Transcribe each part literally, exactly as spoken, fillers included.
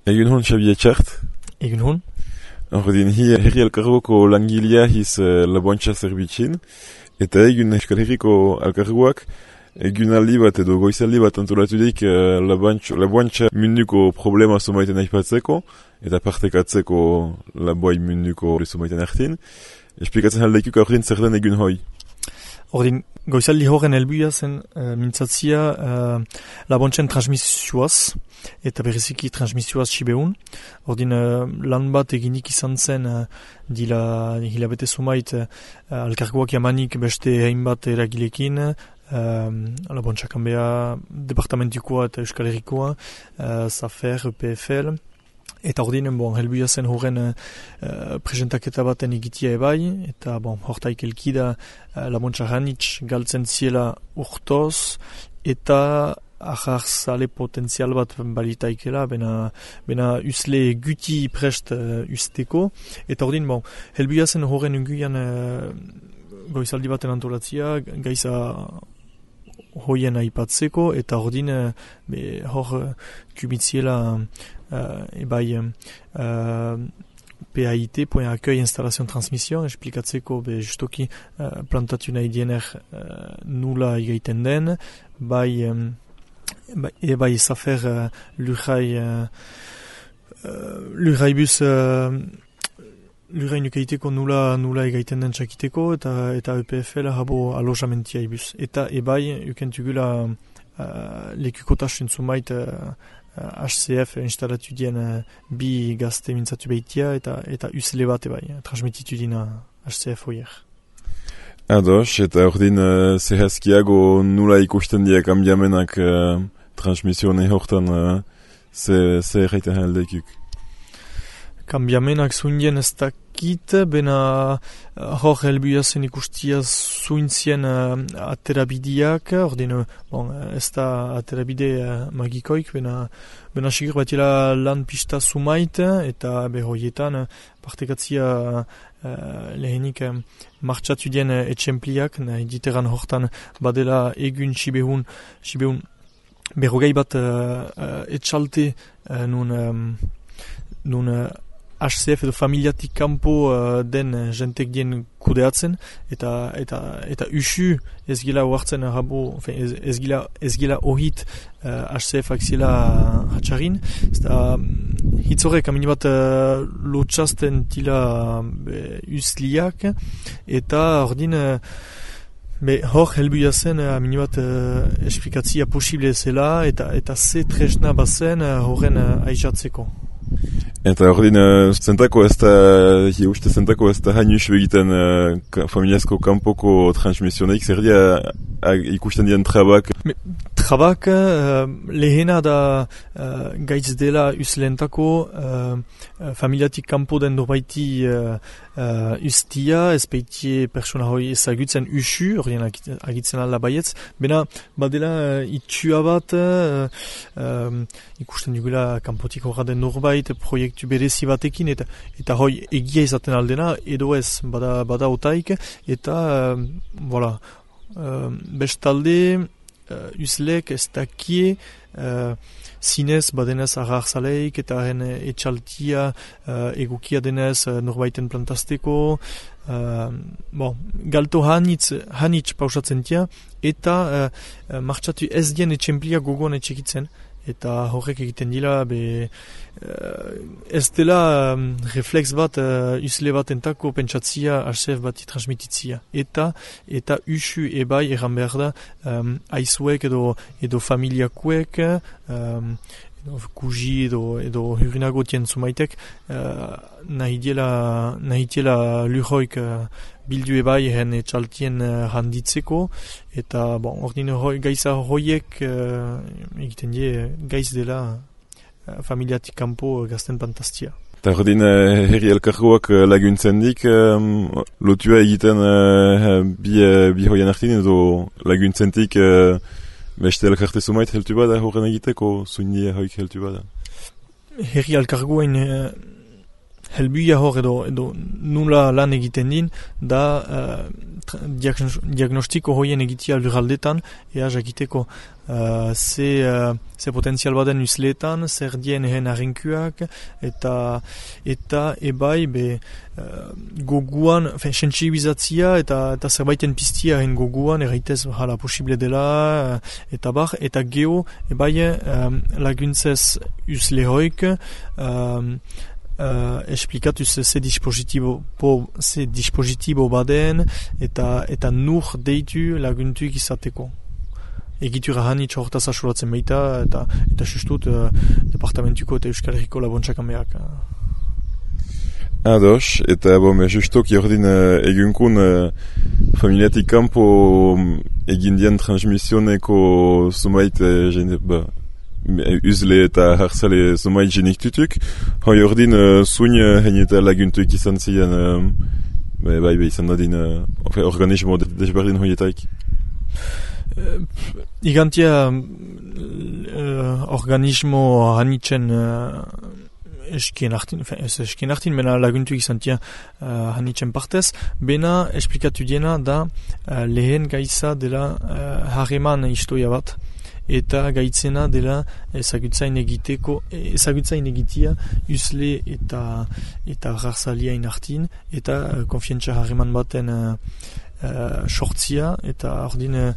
Egun hon, Xabi Etxart. Egun hon. Ordin, hi herri elkargoko langilea hiz uh, laboantxa zerbitxin, eta egun Euskal Herriko elkargoak egun aldi bat edo goizaldi bat antolatudik uh, laboantxa munduko problema somaiten aipatzeko, eta partekatzeko laboai munduko somaiten artin. Esplikatzen haldeikuk ordin zer den egun hoi? Ordin, goizaldi horren helbuia zen uh, mintzatzia uh, laboantxen transmisioaz, eta bereziki transmisioaz sibeun. Ordin, uh, lan bat eginik izan zen uh, dila hilabete sumait uh, alkargoak jamanik beste hainbat eragilekin, uh, laboantxakan beha departamentikoa eta Euskal Herrikoa, uh, Zafer, E P F L. Eta ordin, bon, helbuia zen horren uh, presentaketa baten egitia ebai, eta bon, hortaik elkida uh, laboantxa hanitz galtzen ziela urtoz, eta aharzale potentzial bat balitaikela, bena, bena usle guti prest uh, usteko. Eta ordin, bon, helbuia zen horren unguian uh, goizaldi baten antolatzia, gaiza hoien aipatzeko, eta ordin, uh, be, hor uh, kumitziela Uh, ebai uh, P A I T, point accueil installation transmission, esplikatzeko be justoki uh, plantatu nahi diener uh, nula igaiten den, bai, um, bai ebai zafer uh, lurrai uh, uh, lurrai bus uh, lurrai nukeiteko nula nula igaiten den txakiteko, eta eta E P F L habo alojamentia ibus. Eta ebai ukentugula uh, lekukotasun sumait uh, H C F instalatu dien uh, bi gazte mintzatu behitia eta eta usle bat ebai, transmititu dina H C F hoier. Ados, eta ordin uh, zehazkiago nula ikusten diak ambiamenak uh, transmisione hortan uh, ze, ze erraiten haldeikuk? Kambiamenak zuindien ez dakit, bena uh, hor helbuia zen ikustia zuintzien uh, aterabideak, ordin, bon, ez da aterabide uh, magikoik, bena, bena sigur batila lan pista sumait, eta behoietan uh, partekatzia uh, lehenik uh, martxatu dien uh, etxempliak, nahi diteran hortan badela egun sibehun, sibehun berrogei bat uh, uh, etxalte uh, nun, um, nun uh, H C F edo familiatik kanpo uh, den uh, jentek dien kudeatzen, eta eta eta usu ez gila oartzen rabo, ez, ez gila ez gila ohit uh, H C F akziela hatxarin, eta hitzorek amini bat uh, lotxasten tila uh, usliak, eta ordin uh, be hor helbuia zen uh, amini bat uh, esplikatzia posible zela, eta eta ze tresna bazen uh, horren uh, aizatzeko. Eta ordin, uh, zentako ez da, hi uste zentako ez da hainus begiten uh, familiazko kanpoko transmisioneik, zer dia uh, ikusten dien trabak? Me, trabak uh, lehena da uh, gaitz dela uslentako uh, familiatik kanpo den norbaiti uh, uh, ustia, ez beitie persona hoi ezagutzen usu, ordin agitzen ala baietz, bena badela uh, itxua bat, uh, um, ikusten dugula kanpotik horra den norbait, proiektu berezi batekin, eta eta hoi egia izaten aldena, edo ez, bada, bada otaik, eta, uh, voilà, uh, bestalde, uh, uslek ez dakie, uh, zinez badenez agartzaleik, eta haren etxaltia uh, egukia denez uh, norbaiten plantazteko, uh, bon, galto hanitz, hanitz pausatzen tia, eta uh, uh, martxatu ez dien etxemplia gogoan etxekitzen, eta horrek egiten dila, be, uh, ez dela um, reflex bat, uh, usle bat entako pentsatzia H C F bati transmititzia. Eta, eta usu ebai erran behar da, um, aizuek edo, edo familiakuek, um, edo kuji edo, edo hurinago tien zumaitek, uh, nahi diela, nahi diela lurhoik uh, bildu ebai ehen etxaltien uh, handitzeko, eta bon, ordine hoi, gaiza hoiek uh, egiten die gaiz dela uh, familiatik kanpo gazten fantastia. Eta ordin uh, herri elkargoak uh, laguntzen dik, um, lotua egiten uh, bi, uh, bi hoien artin, edo laguntzentik uh, beste elkarte zumait heltu bada horren egiteko, zuindia hoik heltu bada? Herri elkargoen uh, helbuia hor edo, edo nula lan egiten din, da uh, diagnostiko hoien egitea lurraldetan, ea jakiteko uh, ze, uh, ze potentzial baden usleetan, zer dien ehen arrenkuak, eta eta ebai be uh, goguan, fen, sentsibilizatzia eta, eta zerbaiten piztia ehen goguan, erraitez hala posible dela, uh, eta bar, eta geho ebai um, laguntzez uslehoik, um, Uh, esplikatu ze, ze dispositibo po, ze dispositibo baden eta eta nur deitu laguntuik izateko. Egitura hanitz hortaz asuratzen baita eta eta sustut uh, departamentuko eta Euskal Herriko labontxak ameak. Ados, eta bon, justok jordin uh, egunkun uh, familiatik kanpo um, egindian transmisioneko zumait uh, jende, ba, uzle eta harzale zumait jenik tutuk. Hoi ordin uh, zuin uh, hen eta laguntuik izan ziren uh, bai bai izan dadin uh, organismo desberdin hoietaik. Uh, igantia uh, organismo hanitzen uh, eskien hartin, ez eskien hartin, bena laguntuik izan tia uh, hanitzen partez, bena esplikatu diena da uh, lehen gaiza dela uh, harreman historia bat. Eta gaitzena dela ezagutzain egiteko, ezagutzain egitea usle eta eta garzaliain hartin, eta uh, konfientza harreman baten uh, uh, sortzia, eta ordin uh,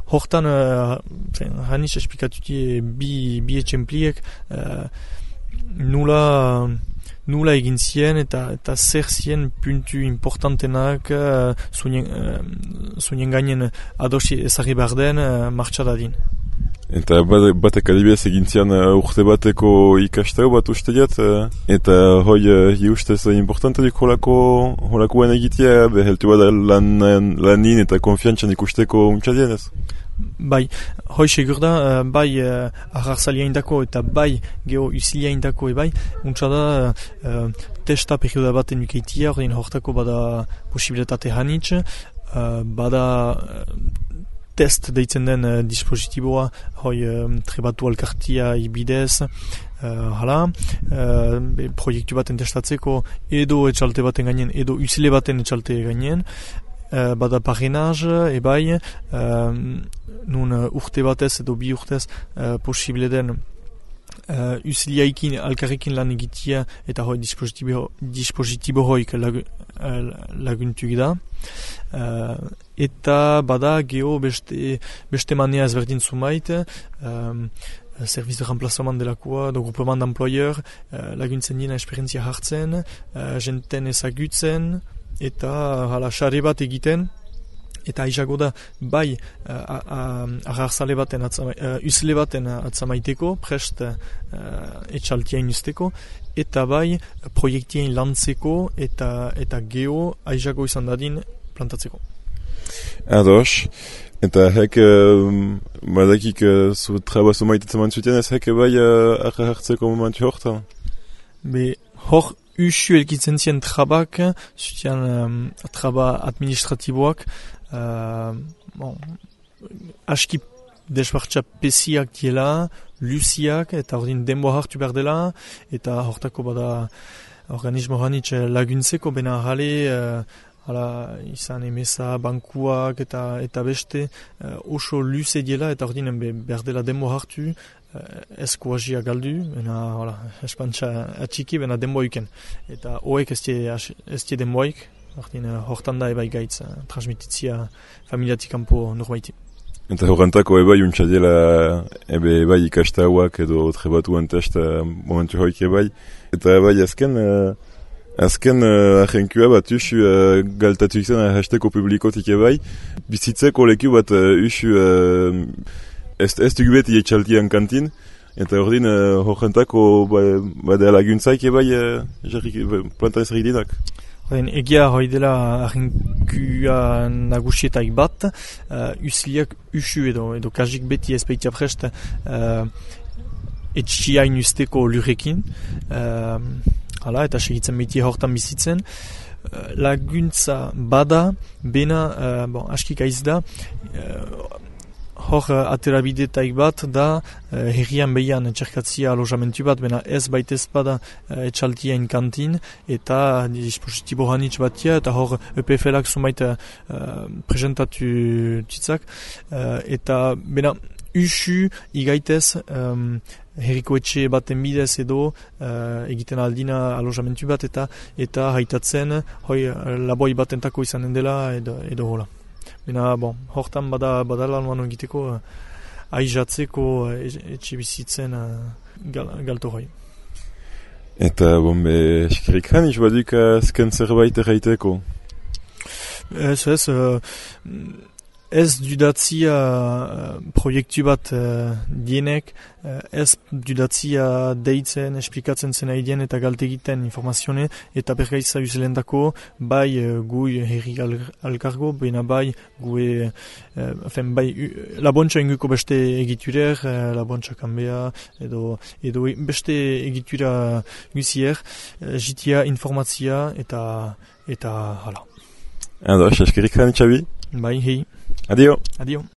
hortan uh, hanis esplikatutie bi, bi etxempliek uh, nula nula egin zien eta eta zer zien puntu importantenak uh, zunien, uh, zunien gainen adosi ezagri behar den uh, martxadadin. Eta batek adibidez egintzian uh, urte bateko ikastau bat uste diat, uh, eta hoi uh, ustez uh, importante dik holako holakoen egitea, beheltu bada lan, lanin eta konfiantzan ikusteko untxadien ez? Bai, hoi segur da, uh, bai uh, agartzaliaindako eta bai geho usiliaindako ebai, untxada uh, testa perioda baten ukeitia, ordin hortako bada posibilitate hanitz, uh, bada uh, test deitzen den uh, dispositiboa, hoi um, trebatu alkartia ibidez, uh, hala, uh, proiektu baten testatzeko, edo etxalte baten gainen, edo usile baten etxalte gainen, uh, bada parenaz, ebai, uh, nun uh, urte batez edo bi urtez uh, posible den Uh, usiliaikin, alkarrekin lan egitea eta hoi dispositibo, dispositibo hoik lagu, uh, laguntuk da. Uh, eta bada geho beste, beste manea ezberdin zumait, um, service de remplacement delakoa, do groupement d'employeur, uh, laguntzen dina esperientzia hartzen, uh, jenten ezagutzen, eta hala xare bat egiten. Eta aizago da, bai, agartzale baten, atzama, uh, usle baten atzamaiteko, prest uh, etxaltiain usteko, eta bai, proiektien lantzeko, eta eta geho aizago izan dadin plantatzeko. Ados, eta hek, uh, badakik, uh, zu traba zumaitetzen mantzuten, ez hek bai uh, arra hartzeko momentu horta? Be, hor, usu elkitzen zien trabak, zutian um, traba administratiboak, Uh, bon, aski desbartza pesiak diela, luziak, eta ordin denboa hartu behar dela, eta hortako bada organismo hanitz laguntzeko, bena jale, uh, hala, izan emesa, bankuak, eta eta beste, uh, oso luze diela, eta ordin behar dela denboa hartu, uh, eskuazia galdu, bena, hala, espantza atxiki, bena denboa iken. Eta hoek ez die denboaik, Hortin, hortan da ebai gaitz, uh, transmititzia familiatik kanpo norbaiti. Eta horrentako ebai untxadiela ebe ebai ikastauak edo trebatuan testa momentu hoik ebai. Eta ebai azken, uh, azken uh, ahenkua bat usu uh, galtatu izan hasteko publikotik ebai. Bizitzeko leku bat uh, usu uh, ez, ez dugu beti etxaltian kantin. Eta ordin uh, horrentako badea laguntzaik ebai uh, plantan ezagik dinak. Egia hoi dela ahinkua nagusietaik bat, uh, usiliak usu edo, edo kajik beti ezpeitia prest uh, etxiain usteko lurrekin, uh, hala, eta segitzen beti hortan bizitzen. Uh, laguntza bada, bena, uh, bon, askik aiz da, uh, hor uh, aterabidetaik bat da uh, herrian behian txerkatzia alojamentu bat, bena ez baitez bada uh, etxaltien kantin eta dispositibo hanitz batia eta hor E P F L-ak zumait uh, presentatu titzak uh, eta bena usu igaitez um, herriko etxe baten bidez edo uh, egiten aldina alojamentu bat eta eta haitatzen hoi laboi batentako izanen dela edo, edo hola. Bena, bon, hortan bada, bada lan egiteko uh, aizatzeko uh, etxe bizitzen uh, gal, galto hoi. Eta, bon, be, eskerik hanitz baduk azken zerbait erraiteko? Ez, ez, uh, ez dudatzia uh, proiektu bat uh, dienek, uh, ez dudatzia deitzen, esplikatzen zena idien eta galtegiten informazione, eta bergaiza uzelendako, bai uh, gui herri alkargo, baina bai gue, uh, fen, bai uh, labontxa inguko beste egiturer, uh, labontxa kanbea, edo, edo beste egitura guzier, uh, jitia informazia eta, eta hala. Ados, eskerik hanitz abi? Bai, hei. Adio. Adio.